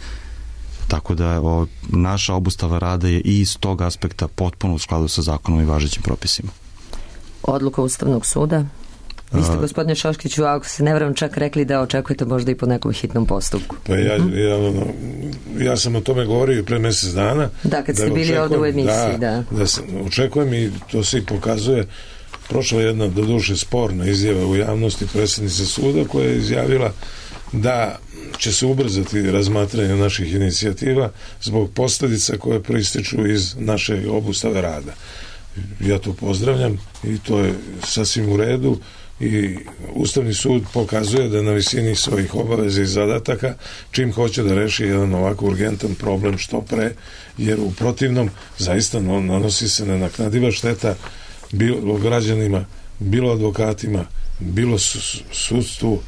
tako da o, naša obustava rada je i iz tog aspekta potpuno u skladu sa zakonom i važećim propisima. Odluka Ustavnog suda? Vi ste, gospodine Šoškiću, ako se ne varam, čak rekli da očekujete možda i po nekom hitnom postupku. Pa ja, ja, ono, ja sam o tome govorio pre mjesec dana. Da, kad da ste bili ovdje u emisiji, da. Da, da sam, očekujem, i to se i pokazuje. Prošla jedna, doduše, sporna izjava u javnosti predsjednice suda, koja je izjavila da će se ubrzati razmatranje naših inicijativa zbog posljedica koje proističu iz naše obustave rada. Ja to pozdravljam i to je sasvim u redu, i Ustavni sud pokazuje da je na visini svojih obaveza i zadataka čim hoće da reši jedan ovako urgentan problem što pre, jer u protivnom zaista nanosi se nenaknadiva šteta bilo građanima, bilo advokatima, bilo sudstvu,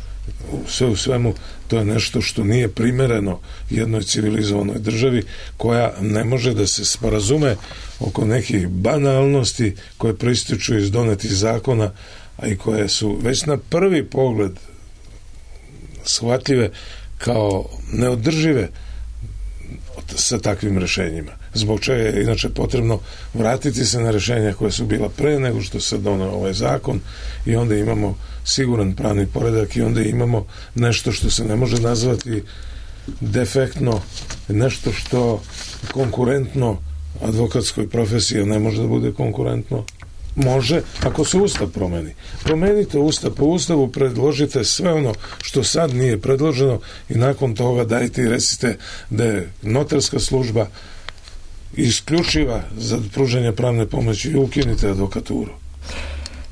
sve u svemu to je nešto što nije primereno jednoj civilizovanoj državi koja ne može da se sporazume oko nekih banalnosti koje proističu iz donetih zakona, a i koje su već na prvi pogled shvatljive kao neodržive sa takvim rešenjima. Zbog čega je inače potrebno vratiti se na rešenja koja su bila pre nego što se doneo ovaj zakon i onda imamo siguran pravni poredak i onda imamo nešto što se ne može nazvati defektno, nešto što konkurentno advokatskoj profesiji ne može da bude konkurentno. Može, ako se Ustav promeni. Promenite Ustav, po Ustavu predložite sve ono što sad nije predloženo i nakon toga dajte i recite da je notarska služba isključiva za pružanje pravne pomoći i ukinite advokaturu.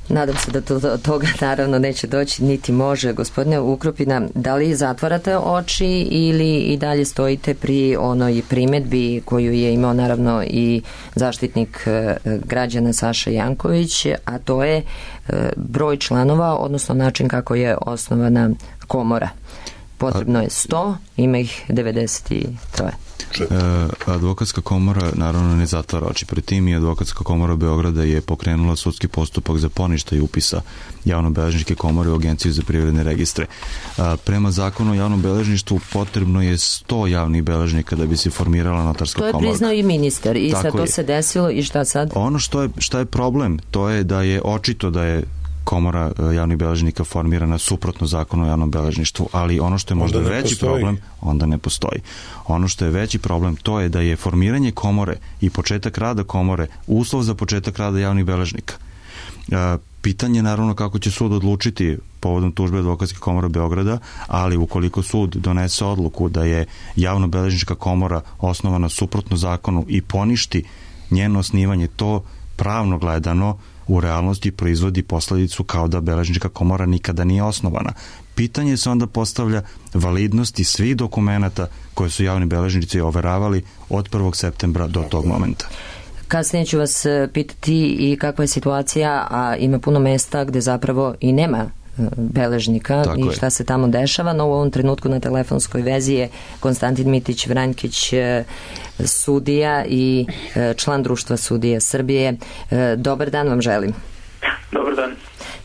Nadam se da to, do toga naravno neće doći, niti može. Gospodine Ukropina, da li zatvarate oči ili i dalje stojite pri onoj primedbi koju je imao naravno i zaštitnik građana Saša Janković, a to je broj članova, odnosno način kako je osnovana komora. Potrebno je sto, ima ih devedeset tri. E, advokatska komora naravno ne zatvara oči pred tim i advokatska komora Beograda je pokrenula sudski postupak za poništaj upisa javnobeležničke komore u Agenciju za privredne registre. A, prema zakonu o javnom beležništvu potrebno je sto javnih beležnika da bi se formirala notarska komora. To je priznao i ministar i sad to je. Se desilo i šta sad? Ono što je, šta je problem, to je da je očito da je komora javnih beležnika formirana suprotno zakonu o javnom beležništvu, ali ono što je možda veći postoji. problem, onda ne postoji. Ono što je veći problem, to je da je formiranje komore i početak rada komore uslov za početak rada javnih beležnika. Pitanje je naravno kako će sud odlučiti povodom tužbe Advokatske komore Beograda, ali ukoliko sud donese odluku da je javno-beležnička komora osnovana suprotno zakonu i poništi njeno osnivanje, to pravno gledano u realnosti proizvodi posledicu kao da beležnička komora nikada nije osnovana. Pitanje se onda postavlja validnosti svih dokumenata koje su javni beležnici overavali od prvog septembra do tog momenta. Kasnije ću vas pitati i kakva je situacija, a ima puno mesta gde zapravo i nema beležnika. Tako i šta je. Se tamo dešava, no u ovom trenutku na telefonskoj vezi je Konstantin Mitić Vranjkić, sudija i član Društva sudija Srbije. Dobar dan vam želim. Dobar dan.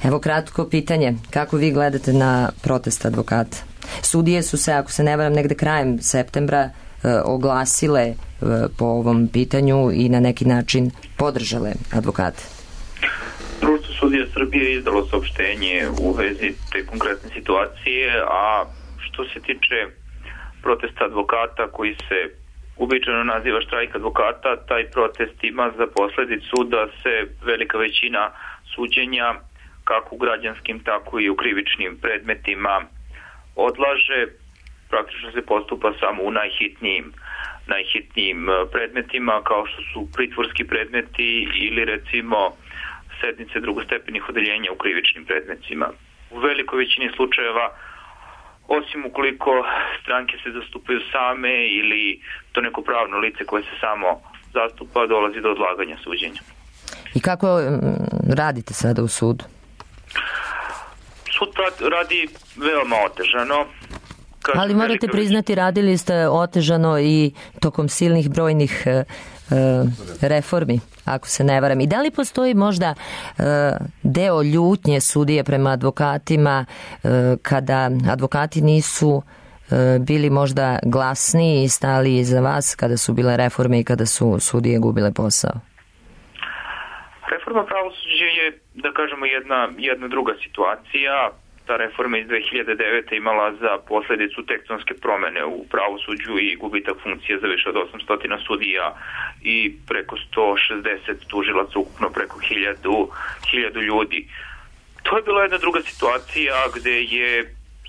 Evo kratko pitanje, kako vi gledate na protest advokata? Sudije su se, ako se ne varam, negde krajem septembra oglasile po ovom pitanju i na neki način podržale advokate. Društvo sudija Srbije je izdalo saopštenje u vezi te konkretne situacije, a što se tiče protesta advokata koji se uobičajeno naziva štrajk advokata, taj protest ima za posledicu da se velika većina suđenja, kako u građanskim, tako i u krivičnim predmetima odlaže. Praktično se postupa samo u najhitnijim, najhitnijim predmetima, kao što su pritvorski predmeti ili recimo sednice drugostepenih odeljenja u krivičnim predmetima. U velikoj većini slučajeva, osim ukoliko stranke se zastupaju same ili to neko pravno lice koje se samo zastupa, dolazi do odlaganja suđenja. I kako radite sada u sudu? Sud radi veoma otežano. Kažem, ali morate priznati, radili ste otežano i tokom silnih brojnih e, reformi, ako se ne varam. I da li postoji možda e, deo ljutnje sudije prema advokatima e, kada advokati nisu e, bili možda glasniji i stali iza vas kada su bile reforme i kada su sudije gubile posao? Reforma pravosuđa je, da kažemo, jedna, jedna druga situacija. Ta reforma iz dve hiljade devete imala za posledicu tektonske promene u pravosuđu i gubitak funkcije za više od osamsto sudija i preko sto šezdeset tužilaca, ukupno preko hiljadu ljudi. To je bila jedna druga situacija gde je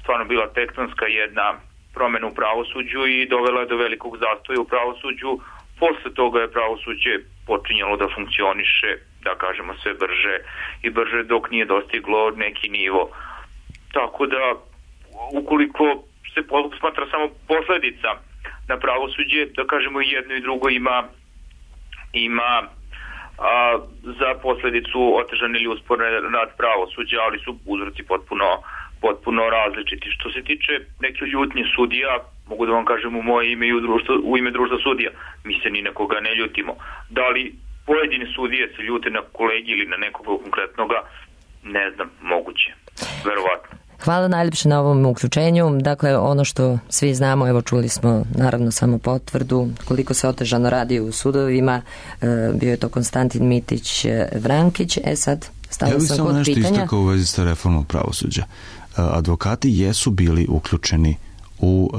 stvarno bila tektonska jedna promena u pravosuđu i dovela do velikog zastoja u pravosuđu. Posle toga je pravosuđe počinjalo da funkcioniše, da kažemo, sve brže i brže dok nije dostiglo neki nivo. Tako da, ukoliko se smatra samo posledica na pravosuđe, da kažemo i jedno i drugo ima, ima a, za posledicu otežan ili usporen rad pravosuđa, ali su uzroci potpuno, potpuno različiti. Što se tiče neke ljutnje sudija, mogu da vam kažem u moje ime i u, društvo, u ime društva sudija, mi se ni na koga ne ljutimo. Da li pojedine sudije se ljute na kolegi ili na nekoga konkretnoga, ne znam, moguće, verovatno. Hvala najljepše na ovom uključenju. Dakle, ono što svi znamo, evo čuli smo naravno samo potvrdu koliko se otežano radi u sudovima. E, bio je to Konstantin Mitić Vrankić. E sad, stalo ja sam kod pitanja. Ja bih samo nešto istakao u vezi sa reformom pravosuđa. Advokati jesu bili uključeni u,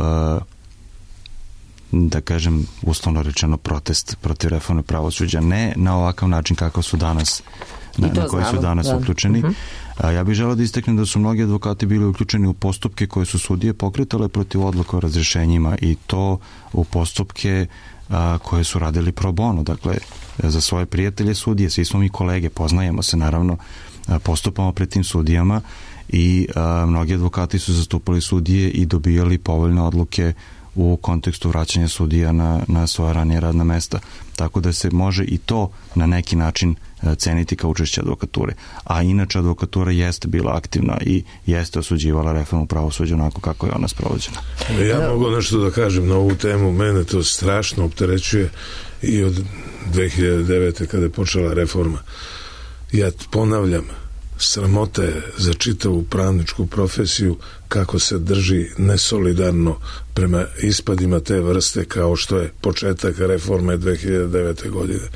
da kažem, uslovno rečeno protest protiv reforme pravosuđa. Ne na ovakav način kako su danas, na, na koji su danas da. uključeni. Uh-huh. Ja bih želeo da istaknem da su mnogi advokati bili uključeni u postupke koje su sudije pokretale protiv odluka o razrješenjima i to u postupke a, koje su radili pro bono. Dakle, za svoje prijatelje sudije, svi smo mi kolege, poznajemo se naravno, a, postupamo pred tim sudijama i a, mnogi advokati su zastupali sudije i dobijali povoljne odluke u kontekstu vraćanja sudija na, na svoja ranije radna mesta. Tako da se može i to na neki način ceniti kao učešće advokature. A inače advokatura jeste bila aktivna i jeste osuđivala reformu pravosuđa onako kako je ona sprovođena. Ja mogu nešto da kažem na ovu temu. Mene to strašno opterećuje i od dve hiljade devete kada je počela reforma. Ja ponavljam, sramota je za čitavu pravničku profesiju kako se drži nesolidarno prema ispadima te vrste kao što je početak reforme dve hiljade devete. godine.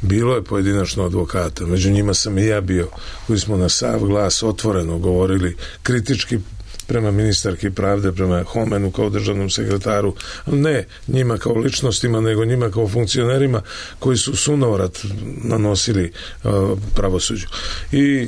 Bilo je pojedinačno advokata, među njima sam i ja bio, koji smo na sav glas otvoreno govorili kritički prema ministarki pravde, prema Homenu kao državnom sekretaru, ne njima kao ličnostima, nego njima kao funkcionerima koji su sunovrat nanosili uh, pravosuđu. I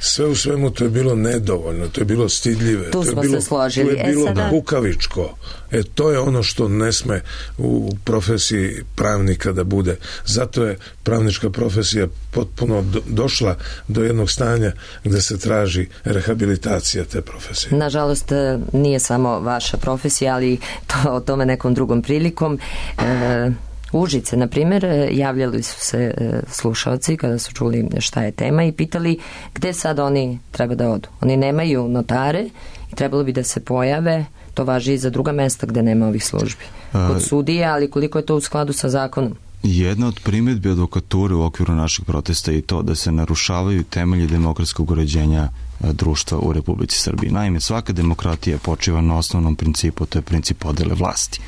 sve u svemu to je bilo nedovoljno, to je bilo stidljive, tu to je smo bilo, se složili. to je bilo e, sada... kukavičko. E, to je ono što ne sme u profesiji pravnika da bude. Zato je pravnička profesija potpuno do, došla do jednog stanja gde se traži rehabilitacija te profesije. Nažalost, nije samo vaša profesija, ali to, o tome nekom drugom prilikom. E, Užice, na primjer, javljali su se slušalci kada su čuli šta je tema i pitali gde sad oni treba da odu. Oni nemaju notare i trebalo bi da se pojave, to važi i za druga mesta gde nema ovih službi. Kod sudija, ali koliko je to u skladu sa zakonom? Jedna od primjedbi advokature u okviru našeg protesta je i to da se narušavaju temelji demokratskog uređenja društva u Republici Srbiji. Naime, svaka demokratija počiva na osnovnom principu, to je princip podele vlasti.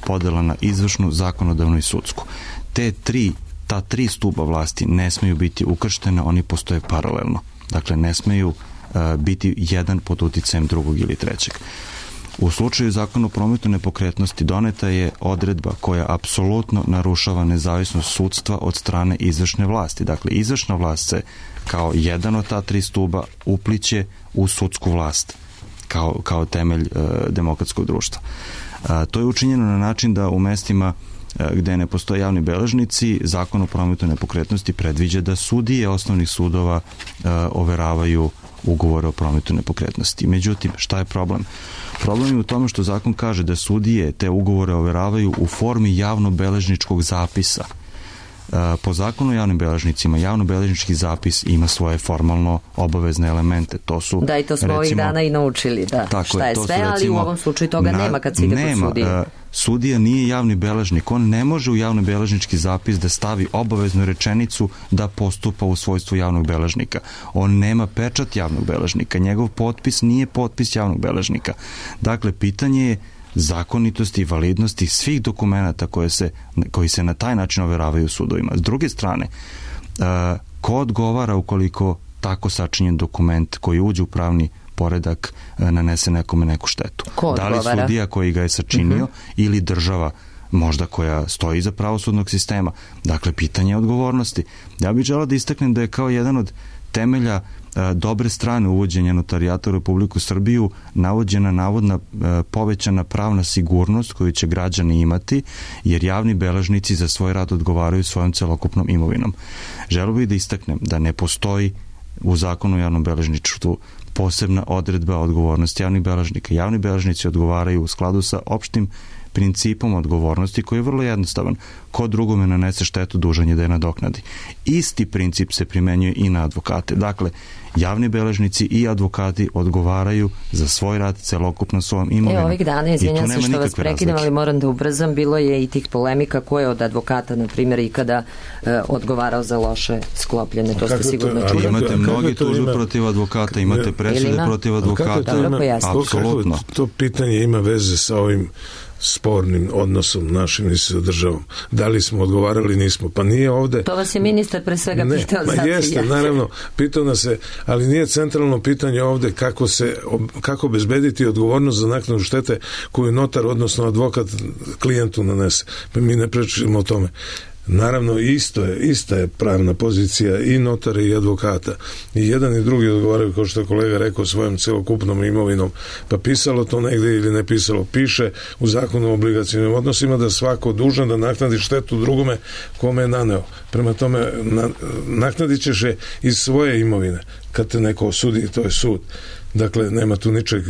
Podela na izvršnu, zakonodavnu i sudsku. Te tri, ta tri stuba vlasti ne smeju biti ukrštene, oni postoje paralelno. Dakle, ne smeju uh, biti jedan pod uticajem drugog ili trećeg. U slučaju zakona o prometu nepokretnosti doneta je odredba koja apsolutno narušava nezavisnost sudstva od strane izvršne vlasti. Dakle, izvršna vlast se kao jedan od ta tri stuba upliće u sudsku vlast kao, kao temelj e, demokratskog društva. E, to je učinjeno na način da u mestima e, gde ne postoje javni beležnici, zakon o prometu nepokretnosti predviđa da sudije osnovnih sudova e, overavaju ugovore o prometu nepokretnosti. Međutim, šta je problem? Problem je u tome što zakon kaže da sudije te ugovore overavaju u formi javnobeležničkog zapisa. Po zakonu o javnim beležnicima, javnobeležnički zapis ima svoje formalno obavezne elemente. To su, da, i to smo ovih dana i naučili, da. Tako šta je, je sve, recimo, ali u ovom slučaju toga na, nema kad se ide nema, kod sudije. Sudija nije javni beležnik, on ne može u javnobeležnički zapis da stavi obaveznu rečenicu da postupa u svojstvu javnog beležnika. On nema pečat javnog beležnika, njegov potpis nije potpis javnog beležnika. Dakle, pitanje je zakonitosti i validnosti svih dokumenata koje se, koji se na taj način overavaju u sudovima. S druge strane, ko odgovara ukoliko tako sačinjen dokument koji uđe u pravni poredak nanese nekome neku štetu? Ko da li sudija koji ga je sačinio uh-huh. ili država možda koja stoji iza pravosudnog sistema? Dakle, pitanje odgovornosti. Ja bih želeo da istaknem da je kao jedan od temelja dobre strane uvođenja notarijata u Republiku Srbiju navođena navodna povećana pravna sigurnost koju će građani imati, jer javni beležnici za svoj rad odgovaraju svojom celokupnom imovinom. Želeo bih da istaknem da ne postoji u zakonu o javnom beležništvu posebna odredba odgovornosti javnih beležnika. Javni beležnici odgovaraju u skladu sa opštim principom odgovornosti koji je vrlo jednostavan. Ko drugome nanese štetu, dužan je da je nadoknadi. Isti princip se primenjuje i na advokate. Dakle, Javni beležnici i advokati odgovaraju za svoj rad celokupno svojom imovinom. E, ovih dana, izvinjam se što vas prekidam, ali moram da ubrzam, bilo je i tih polemika ko je od advokata, na primjer, ikada e, odgovarao za loše sklopljene, to ste sigurno čuli. Imate mnogi tužbe protiv advokata, imate presude protiv advokata. Apsolutno. To, to pitanje ima veze sa ovim spornim odnosom našim i sa državom. Da li smo odgovarali, nismo. Pa nije ovde... To vas je ministar pre svega ne, pitao. Ma jeste, naravno, pitao nas se, ali nije centralno pitanje ovde kako se, kako bezbediti odgovornost za naknadu štete koju notar, odnosno advokat klijentu nanese. Pa mi ne pričamo o tome. Naravno, isto je, ista je pravna pozicija i notara i advokata. I jedan i drugi odgovaraju, kao što je kolega rekao, svojom celokupnom imovinom. Pa pisalo to negde ili ne pisalo. Piše u zakonu o obligacijnim odnosima da svako dužan da naknadi štetu drugome kome je naneo. Prema tome, na, naknadit ćeš je iz svoje imovine. Kad te neko osudi, to je sud. Dakle, nema tu ničeg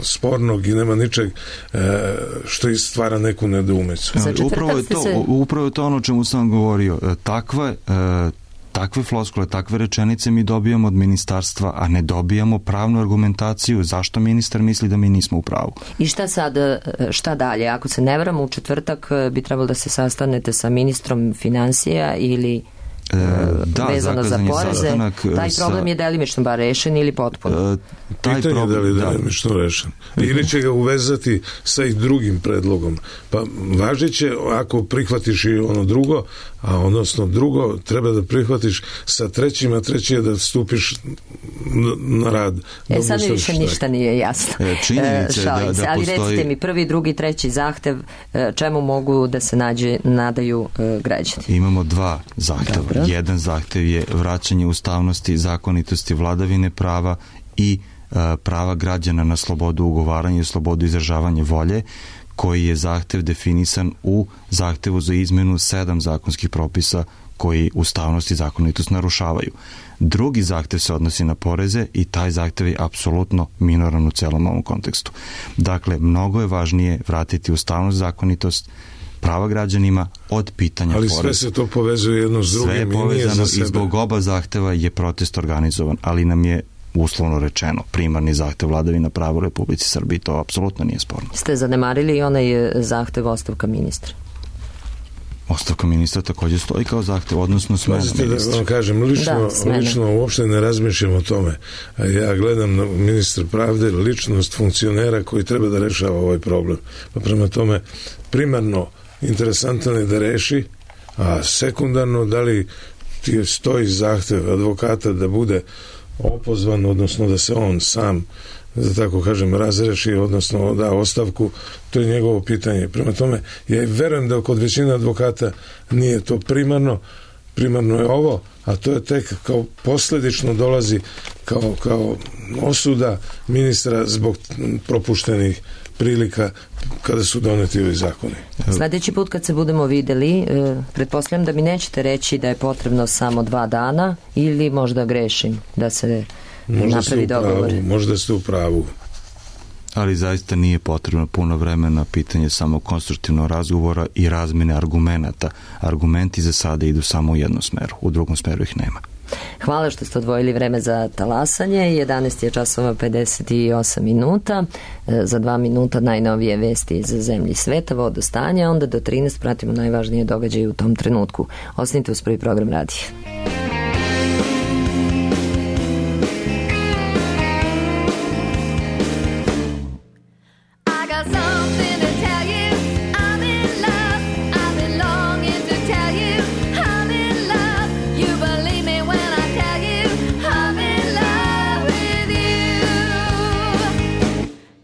spornog i nema ničeg e, što stvara neku nedoumicu. Upravo je to, se... upravo je to ono o čemu sam govorio. Takve, e, takve floskule, takve rečenice mi dobijamo od ministarstva, a ne dobijamo pravnu argumentaciju zašto ministar misli da mi nismo u pravu. I šta sad, šta dalje? Ako se ne varam, u četvrtak bi trebalo da se sastanete sa ministrom financija ili... E, da, vezano za poreze, taj problem sa, je delimično bar rešen ili potpuno? E, taj pitanje problem, je da li je delimično da. rešen. Ili će ga uvezati sa i drugim predlogom. Pa važiće ako prihvatiš i ono drugo, a odnosno drugo treba da prihvatiš sa trećim, a treći je da stupiš na rad. E sad mi više ništa nije jasno. E, činjenice da, da ali postoji... recite mi, prvi, drugi, treći zahtev, čemu mogu da se nađe, nadaju građani? Imamo dva zahteva. Dobro. Jedan zahtev je vraćanje ustavnosti, zakonitosti, vladavine prava i e, prava građana na slobodu ugovaranja i slobodu izražavanja volje, koji je zahtev definisan u zahtevu za izmenu sedam zakonskih propisa koji ustavnost i zakonitost narušavaju. Drugi zahtev se odnosi na poreze i taj zahtev je apsolutno minoran u celom ovom kontekstu. Dakle, mnogo je važnije vratiti ustavnost, zakonitost, prava građanima od pitanja poreza. Ali sve se to povezuje jedno s drugim. Sve je povezano i zbog oba zahteva je protest organizovan, ali nam je uslovno rečeno primarni zahtev vladavina prava u Republici Srbiji, to apsolutno nije sporno. Ste zanemarili i onaj zahtev ostavka ministra? Ostavka ministra također stoji kao zahtev, odnosno smena ministra. Da vam kažem, lično, da, lično uopšte ne razmišljam o tome. Ja gledam na ministra pravde, ličnost funkcionera koji treba da rešava ovaj problem. Pa prema tome, primarno interesantno je da reši, a sekundarno da li ti stoji zahtev advokata da bude opozvan, odnosno da se on sam, da tako kažem, razreši, odnosno da ostavku, to je njegovo pitanje. Prema tome, ja verujem da kod većine advokata nije to primarno, primarno je ovo, a to je tek kao posledično dolazi kao, kao osuda ministra zbog propuštenih prilika kada su doneti ovi zakoni. Sledeći put kad se budemo videli, e, pretpostavljam da mi nećete reći da je potrebno samo dva dana ili možda grešim da se možda napravi dogovor. Možda ste u pravu. Ali zaista nije potrebno puno vremena, pitanje samo konstruktivnog razgovora i razmene argumenata. Argumenti za sada idu samo u jednom smeru, u drugom smeru ih nema. Hvala što ste odvojili vreme za talasanje. jedanaest je časova pedeset osam minuta. Za dva minuta najnovije vesti iz zemlji sveta, vodostanja, onda do trinaest pratimo najvažnije događaje u tom trenutku. Ostanite uz prvi program radija.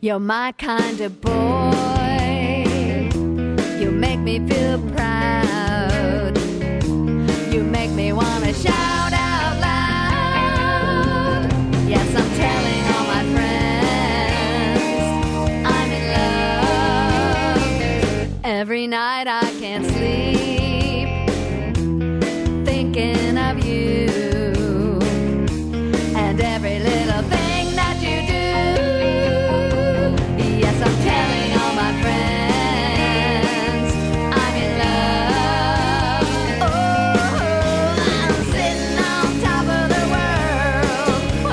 You're my kind of boy. You make me feel proud. You make me want to shout out loud. Yes, I'm telling all my friends I'm in love. Every night I can't sleep thinking of you and every little thing that you do. I'm telling all my friends I'm in love. Oh, I'm sitting on top of the world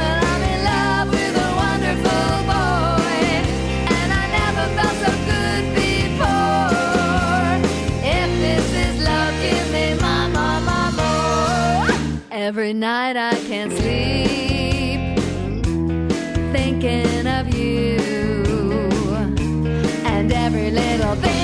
can't sleep, thinking of you and every little thing.